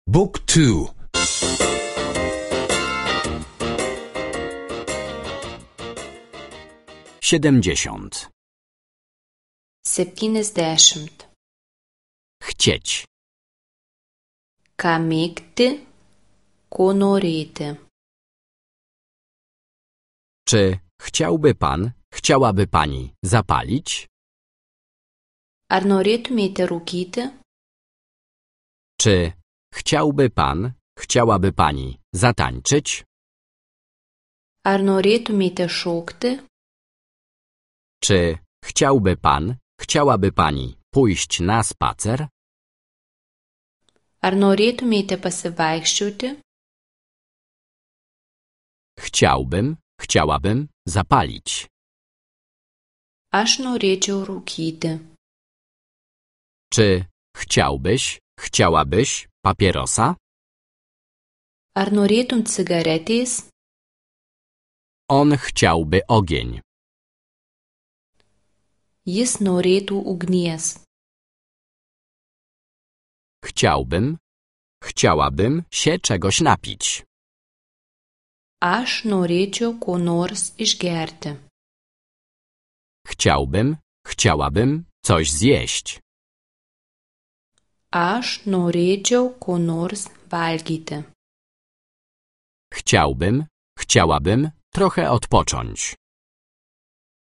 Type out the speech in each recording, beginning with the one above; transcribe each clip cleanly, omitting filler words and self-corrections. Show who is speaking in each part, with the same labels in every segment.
Speaker 1: Book 2.
Speaker 2: 70.
Speaker 3: 70.
Speaker 2: Chcieć.
Speaker 3: Ką mėgti, ko norėti.
Speaker 2: Czy chciałaby pani zapalić?
Speaker 3: Ar norėtumėte rūkyti?
Speaker 2: Czy chciałaby pani zatańczyć?
Speaker 3: Ar norėtumėte šokti?
Speaker 2: Czy chciałaby pani pójść na spacer?
Speaker 3: Ar norėtumėte pasivaikščioti?
Speaker 2: Chciałabym zapalić.
Speaker 3: Aš norėčiau rūkyti.
Speaker 2: Czy chciałabyś papierosa?
Speaker 3: Ar norėtum cigaretės?
Speaker 2: On chciałby ogień.
Speaker 3: Jis norėtų ugnies.
Speaker 2: Chciałabym się czegoś napić.
Speaker 3: Aš norėčiau ko nors išgerti.
Speaker 2: Chciałabym coś zjeść.
Speaker 3: Aš norėčiau ko nors valgyti.
Speaker 2: Chciałabym trochę odpocząć.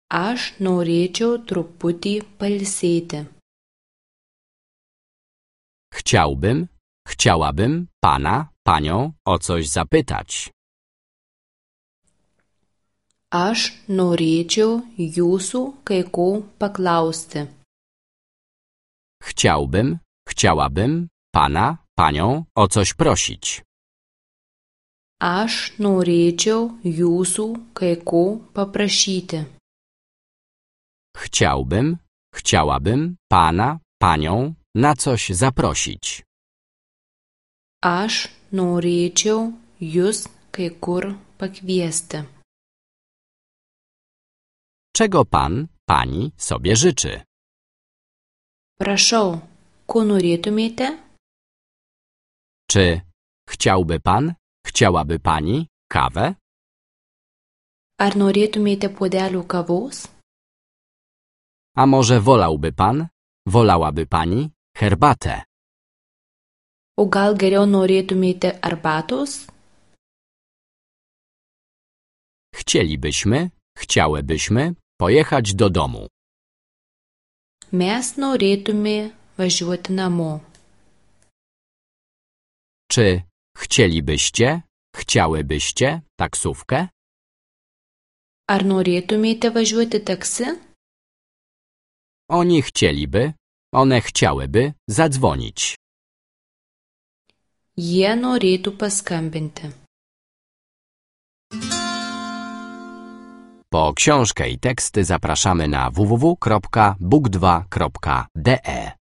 Speaker 3: Aš norėčiau truputį pailsėti.
Speaker 2: Chciałabym panią o coś zapytać.
Speaker 3: Aš norėčiau jūsų kai ko paklausti.
Speaker 2: Chciałabym panią o coś prosić.
Speaker 3: Aš norėčiau jūsų kai ko paprašyti.
Speaker 2: Chciałabym panią na coś zaprosić.
Speaker 3: Aš norėčiau jūs kai kur pakviesti.
Speaker 2: Czego pani sobie życzy?
Speaker 3: Prašau, ko norėtumėte?
Speaker 2: Czy chciałaby pani kawę?
Speaker 3: Ar norėtumėte puodelių kavos?
Speaker 2: A może wolałaby pani herbatę?
Speaker 3: O gal geriau norėtumėte arbatos?
Speaker 2: Chciałybyśmy pojechać do domu.
Speaker 3: Mes norėtume važiuoti namo.
Speaker 2: Czy chciałybyście taksówkę?
Speaker 3: Ar norėtumėte važiuoti taksi?
Speaker 2: One chciałyby zadzwonić.
Speaker 3: Jie norėtų paskambinti.
Speaker 2: Po książkę i teksty zapraszamy na www.book2.de.